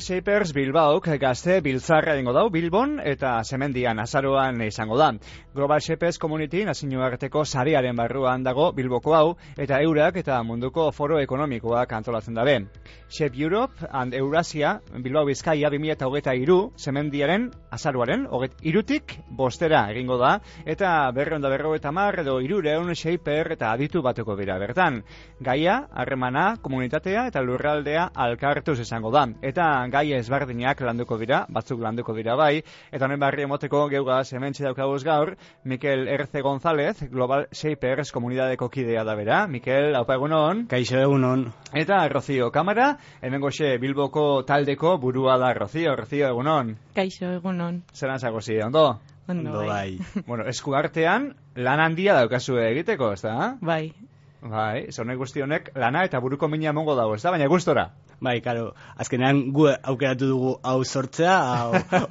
Shapers Bilbaok gazte biltzarra egingo dau Bilbon eta Semendian azaroan izango da. Global Shapers Community nazioarteko sarearen barruan dago Bilboko hau eta eurak eta munduko foro ekonomikoak antolatzen dabe. Shape Europe and Eurasia Bilbao Bizkaia 2023 Semendiaren azaroaren 23tik 5 egingo da eta 250 edo 300 shaper eta aditu batuko dira bertan. Gaia, harremana, komunitatea eta lurraldea alkartuz izango da. Eta gai ezberdinak landuko dira, batzuk landuko dira bai, eta honen barri emoteko geugaz hementxe daukaguz gaur, Mikel Erce González, Global Shapers komunidadeko kidea da bera. Mikel, haupa egunon. Kaixo egunon. Eta Rocío Kamara, hemengoxe Bilboko taldeko burua da Rocío egunon. Kaixo egunon. Zeran zagozi, ondo? Ondo bai. Bueno, esku artean lan handia daukazue egiteko, ez da? Bai. Bai, zonek guzti honek lana eta buruko mina emongo dago, ez da? Baina gustora. Bai, karo, azkenean gu aukeratu dugu hau sortzea,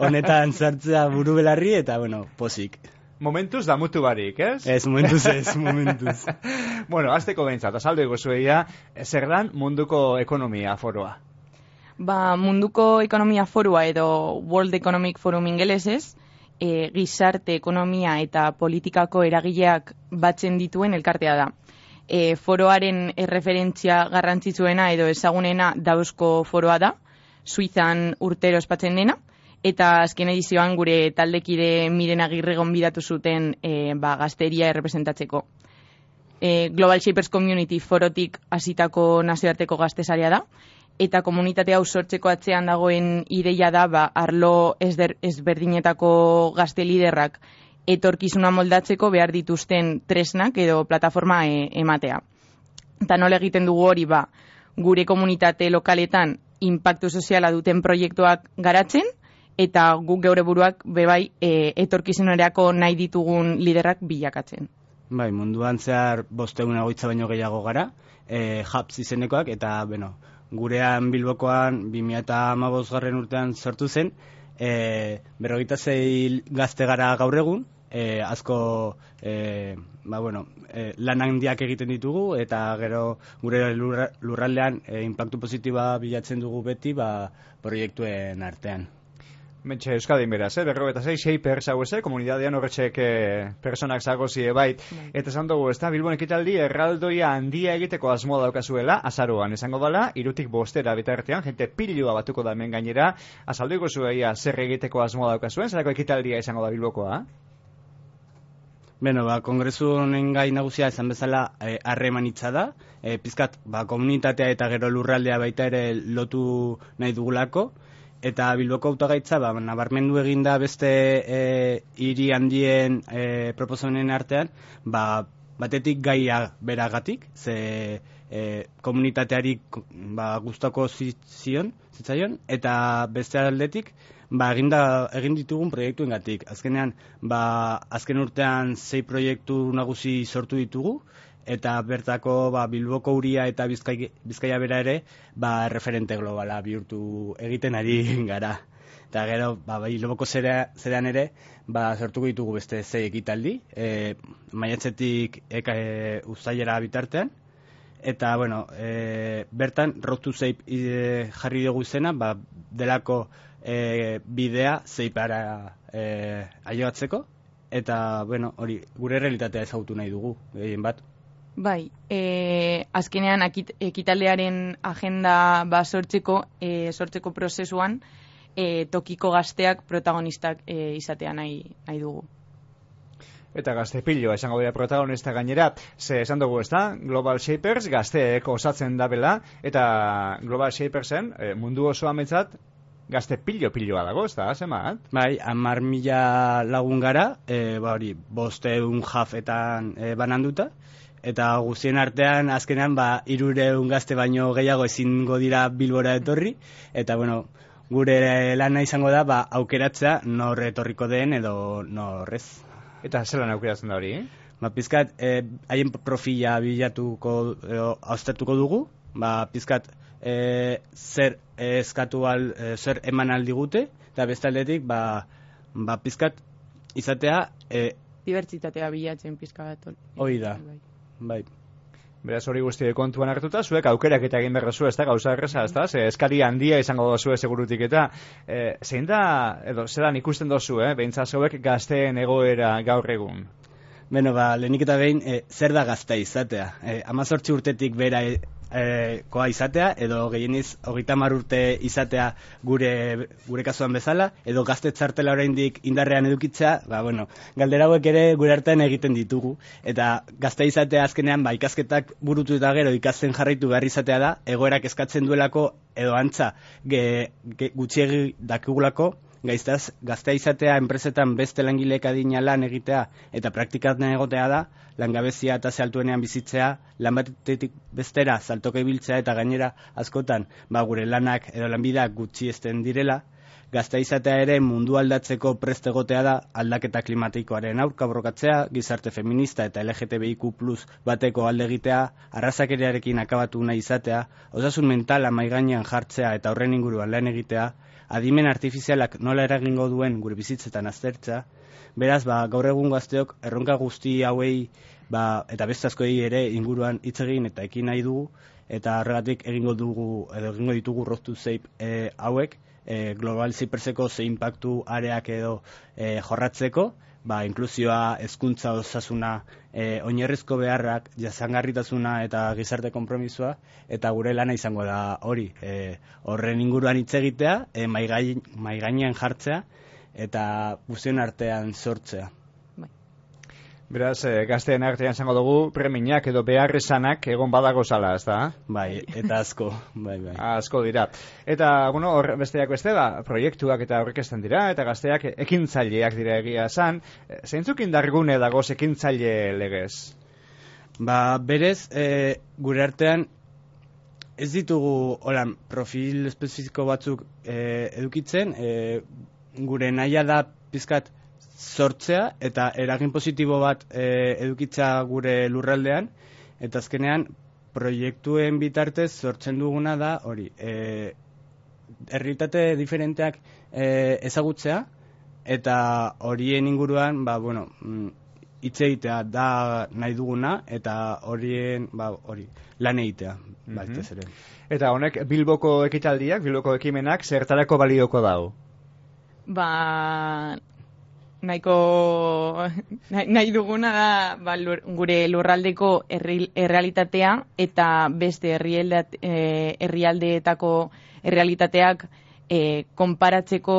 honetan sartzea buru belarri eta, bueno, posik. Momentuz da mutu barik, ez? Ez, momentuz. Bueno, azteko behintzat, azaldu egozueia, zer dan munduko ekonomia foroa? Munduko ekonomia forua edo World Economic Forum ingelesez, gizarte, ekonomia eta politikako eragileak batzen dituen elkartea da. Foroaren erreferentzia garrantzitsuena edo ezagunena Davosko foroa da, Suizan urtero ospatzen dena, eta azken edizioan gure taldekide Miren Agirre gonbidatu zuten gazteria errepresentatzeko. Global Shapers Community forotik hasitako nazioarteko gaztesaria da, eta komunitate hau sortzeko atzean dagoen ideia da arlo ezberdinetako gazte liderrak etorkizuna moldatzeko behar dituzten tresnak edo plataforma ematea. Eta nola egiten dugu hori gure komunitate lokaletan inpaktu soziala duten proiektuak garatzen, eta guk geure buruak bebai etorkizunerako nahi ditugun liderrak bilakatzen. Bai, munduan zehar 500 baino gehiago gara, hubs izenekoak, eta gurean Bilbokoan 2015 urtean sortu zen, 46 gazte gara gaur egun, asko lan handiak egiten ditugu eta gero gure lurraldean inpaktu positiboa bilatzen dugu beti proiektuen artean. Mentxe Euskadin beraz, 46 shapers hau komunidadean horretxek personak zagozie bait. Eta esan dugu, ez da, Bilbon ekitaldi erraldoia handia egiteko asmoa daukazuela, azaroan esango dela, 3tik 5 bitartean, jente pilua batuko da hemen gainera, azalduko zueia zer egiteko asmoa daukazuen, zerako ekitaldia izango da Bilbokoa? Kongresu honen gai nagusia esan bezala harremanitza da, pizkat komunitatea eta gero lurraldea baita ere lotu nahi dugulako, eta Bilboko hautagaitza nabarmendu eginda beste hiri handien proposamenen artean, batetik gaia beragatik, ze komunitateari gustoko zitzaion, eta beste aldetik egin ditugun proiektuengatik. Azkenean, azken urtean 6 proiektu nagusi sortu ditugu, eta bertako Bilboko uria eta Bizkaia bera ere referente globala bihurtu egiten ari gara. Eta gero, Bilboko zerean ere, sortuko ditugu beste 6 ekitaldi, maiatzetik uztailera bitartean, eta, bertan, Road to Shape jarri dugu izena, delako bidea Shapeara ailegatzeko, eta, hori, gure realitatea ezagutu nahi dugu, gehien bat. Bai, azkenean ekitaldearen agenda sortzeko prozesuan tokiko gazteak protagonistak izatea nahi dugu. Eta gazte piloa esango dira protagonista gainera, ze esan dugu ez da, Global Shapers gazteek osatzen dabela, eta Global Shapersen mundu osoa metzat gazte piloa dago, ez da, zemat? Bai, 10.000 lagun gara, 500 jafetan bananduta, eta guztien artean, azkenean, 300 gazte baino gehiago ezingo dira Bilbora etorri, eta, gure lana izango da, aukeratzea nor etorriko den edo norrez. Eta zelan aukeratzen da hori? Pizkat, haien profila bilatuko, haustatuko dugu, pizkat, zer eskatu zer eman aldigute, eta bestaldetik, pizkat, izatea... Dibertsitatea bilatzen pizka bat. Hoi da, bai. Beraz hori guzti kontuan hartuta, zuek aukerak eta egin berrezu, ez da, gauza erreza, ez da, eskari handia izango dozu segurutik eta zein da, edo, zelan ikusten dozu, behintzat zeuek gazteen egoera gaur egun? Beno, lehenik eta behin, zer da gaztea izatea? 18 urtetik bera koa izatea, edo gehieniz 30 urte izatea gure kasuan bezala, edo gazte txartela oraindik indarrean edukitzea, galdera hauek ere gure artean egiten ditugu, eta gazte izatea azkenean, ikasketak burutu eta gero ikasten jarraitu behar izatea da, egoerak eskatzen duelako, edo antza, gutxiegi dakigulako, gaztea izatea enpresetan beste langileek adina lan egitea eta praktikatzen egotea da, langabezia eta altuenean bizitzea, lan batetik bestera saltoka ibiltzea eta gainera askotan gure lanak edo lanbideak gutxiesten direla, gaztea izatea ere mundu aldatzeko prest egotea da, aldaketa klimatikoaren aurka borrokatzea, gizarte feminista eta LGTBIQ+ bateko alde egitea, arrazakeriarekin akabatu nahi izatea, osasun mentala mahai gainean jartzea eta horren inguruan lan egitea, adimen artifizialak nola eragingo duen gure bizitzetan aztertza. Beraz, gaur egun gazteok erronka guzti hauei eta beste askoi ere inguruan hitz egin eta ekin nahi dugu, eta horregatik egingo ditugu Road to Safe hauek, Global Cyperseko ze impactu areak edo jorratzeko, inklusioa, hezkuntza, osasuna, oinarrizko beharrak, jasangarritasuna eta gizarte konpromisoa, eta gure lana izango da hori. Horren inguruan hitz egitea, mahai gainean jartzea, eta guztion artean sortzea. Beraz, gazteen artean izango dugu premiak edo beharrizanak egon badago zala, ez da? Bai, eta asko. Bai. Asko dira. Eta, hor besteak beste, proiektuak eta aurkezten dira, eta gazteak ekintzaileak dira egia esan. Zeintzuk indargune dagoz ekintzaile legez? Berez, gure artean ez ditugu profil espezifiko batzuk edukitzen, gure nahia da pizkat sortzea eta eragin positibo bat edukitza gure lurraldean, eta azkenean proiektuen bitartez sortzen duguna da hori, errealitate diferenteak ezagutzea, eta horien inguruan hitz egitea da nahi duguna, eta horien lan egitea. Eta honek Bilboko ekitaldiak, Bilboko ekimenak zertarako balioko dago? Nahi duguna da gure lurraldeko errealitatea eta beste herrialdeetako errealitateak konparatzeko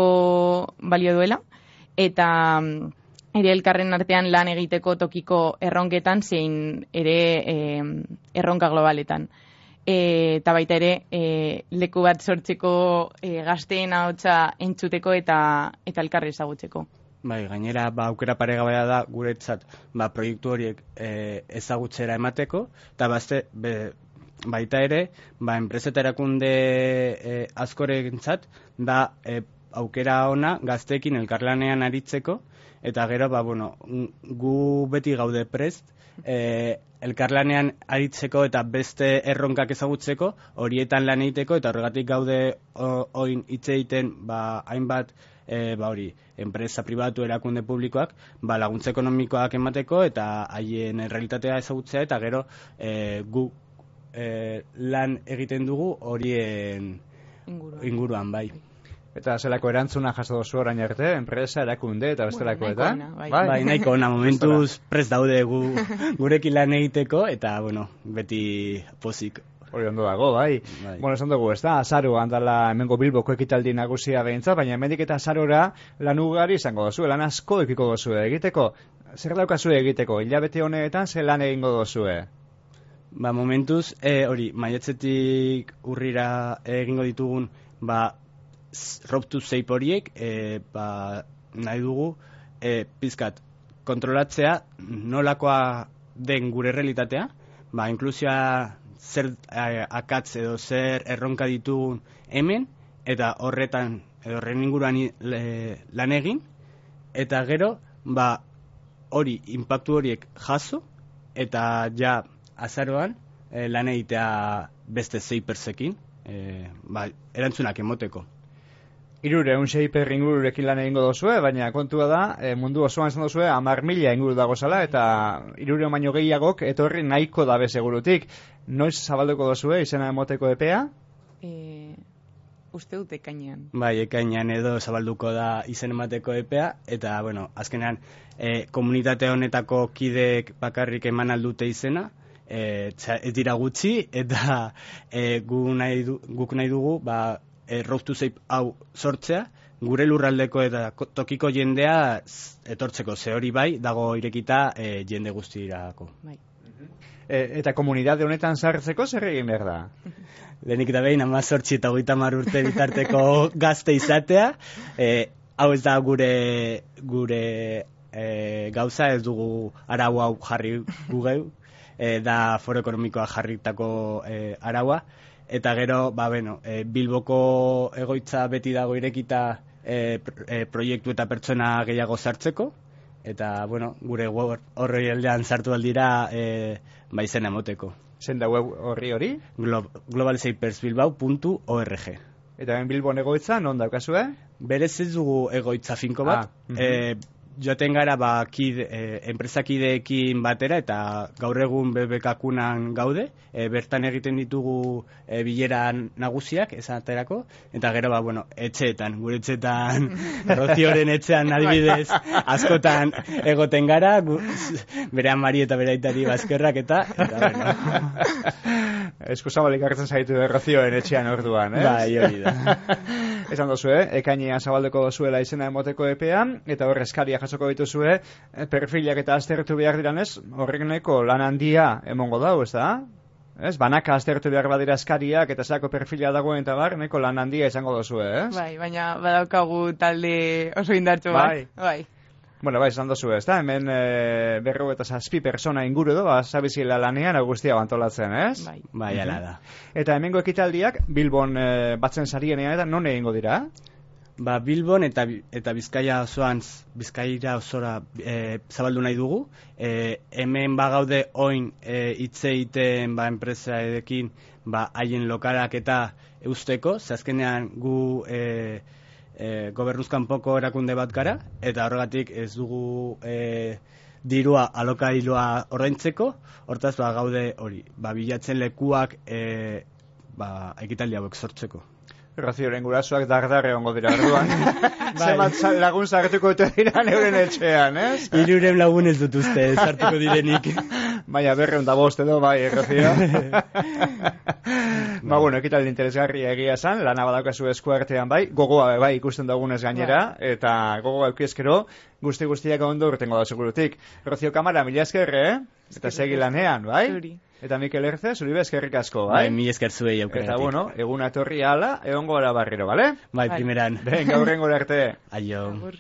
balio duela, eta ere elkarren artean lan egiteko tokiko erronketan zein ere erronka globaletan. Eta baita ere leku bat sortzeko gazteen ahotsa entzuteko eta elkarri ezagutzeko. Gainera, aukera paregabea da guretzat proiektu horiek ezagutzera emateko, eta baita ere, enpresa eta erakunde askorentzat da aukera ona gazteekin elkarlanean aritzeko, eta gero, gu beti gaude prest, elkarlanean aritzeko eta beste erronkak ezagutzeko, horietan lan egiteko, eta horregatik gaude oin hitz egiten hainbat enpresa pribatu erakunde publikoak laguntza ekonomikoak emateko eta haien realitatea ezagutzea, eta gero gu lan egiten dugu horien inguruan. Eta zelako erantzuna jaso dozu orain arte, enpresa, erakunde eta bestelako eta? Nahiko ona, momentuz prest daude gurekin lan egiteko, eta beti pozik. Hori ondo dago, bai. Esan dugu, ez da, azaroan dala hemengo Bilboko ekitaldi nagusia behintza, baina hemendik eta azarora lan ugari izango dozu, lan asko ekiko dozu egiteko. Zer daukazu egiteko, hilabete honetan ze lan egingo dozue? Momentuz, maiatzetik urrira egingo ditugun, Road to Safe horiek, nahi dugu, pizkat, kontrolatzea nolakoa den gure realitatea, inklusioa zer akatz edo zer erronka ditugun hemen, eta horren inguruan lan egin, eta gero, hori, inpaktu horiek jaso, eta ja azaroan lan egitea beste Cypersekin, erantzunak emoteko. 600 per ingururekin lan egingo dozue, baina kontua da, mundu osoan esan dozue, 10.000 inguru dago zala, eta 300 baino gehiagok etorri nahiko dabe segurutik. Noiz zabalduko dozue, izena emoteko epea? Uste dut ekainean. Bai, ekainean edo zabalduko da izen emateko epea, eta, bueno, azkenean, komunitate honetako kideek bakarrik eman aldute izena, ez dira gutxi, eta guk nahi dugu, Road to Safe hau sortzea, gure lurraldeko eta tokiko jendea etortzeko, ze hori bai, dago irekita jende guztirako. Bai. Eta komunitate honetan sartzeko zer egin behar da? Lehenik da behin, 18 eta 30 urte bitarteko gazte izatea, hau ez da gure gauza, ez dugu arau hau jarri gugeu, da foro ekonomikoa jarritako araua, eta gero, Bilboko egoitza beti dago irekita proiektu eta pertsona gehiago sartzeko, eta, gure horri aldean sartu aldira izena emoteko. Zen da web hori? globalsafersbilbao.org. Eta ben Bilbon egoitza, non daukazue? Berez ez dugu egoitza finko bat. Joaten gara enpresakideekin batera, eta gaur egun BBK-kunan gaude, bertan egiten ditugu bilera nagusiak, esaterako, eta gero, etxeetan, gure etxeetan, Rozioren etxean adibidez, askotan egoten gara, bere amari eta bere aitari bazkerrak, eta Eskuzabalik hartzen zaitu Rozioren etxean orduan, ez? Bai, hori da. Esan dozue, ekainean zabaldeko dozuela izena emoteko epean, eta hor eskaria jasoko dituzue, perfilak eta aztertu behar diranez, horrek nahiko lan handia emongo dau, ez da? Ez, banaka aztertu behar badira eskariak, eta zako perfila dagoen eta bar, nahiko lan handia izango dozue, ez? Bai, baina badaukagu talde oso indartsu bat. Bai. Bueno, esan dozue, ez da? Hemen 47 persona inguru edo, zabizila lanean guztia bantolatzen, ez? Bai, ala da. Eta hemengo ekitaldiak, Bilbon batzen sarienean eta non egingo dira? Bilbon eta Bizkaia osora zabaldu nahi dugu. Hemen bagaude oin hitz egiten enpresaekin haien lokalak eta eusteko, azkenean gu gobernuzkanpoko erakunde bat gara, eta horregatik ez dugu dirua alokailua ordaintzeko, hortaz gaude hori, bilatzen lekuak ekitaldi hauek sortzeko. Rozioren gurasoak dardarre ongo dira orduan. Zemat lagun sartuko dira neuren etxean, ez? 300 lagun ez dut uste, sartuko direnik. Baina 205 edo, bai, Rozio. Ekitaldi interesgarria egia esan, lana badaukazu eskuartean bai, gogoa bai ikusten dugunez gainera, eta gogoa eukiezkero, guztiak ondo urtengo da segurutik. Rozio Kamara, mila esker, Eta segi lanean, bai? Zuri. Eta Mikel Erze, zuri eskerrik asko, bai? Mila esker zuei aukeragatik. Eta eguna etorri ala, egongo gara barriro, bale? Bai, primeran. Venga, hurrengo arte. Aio. Agur.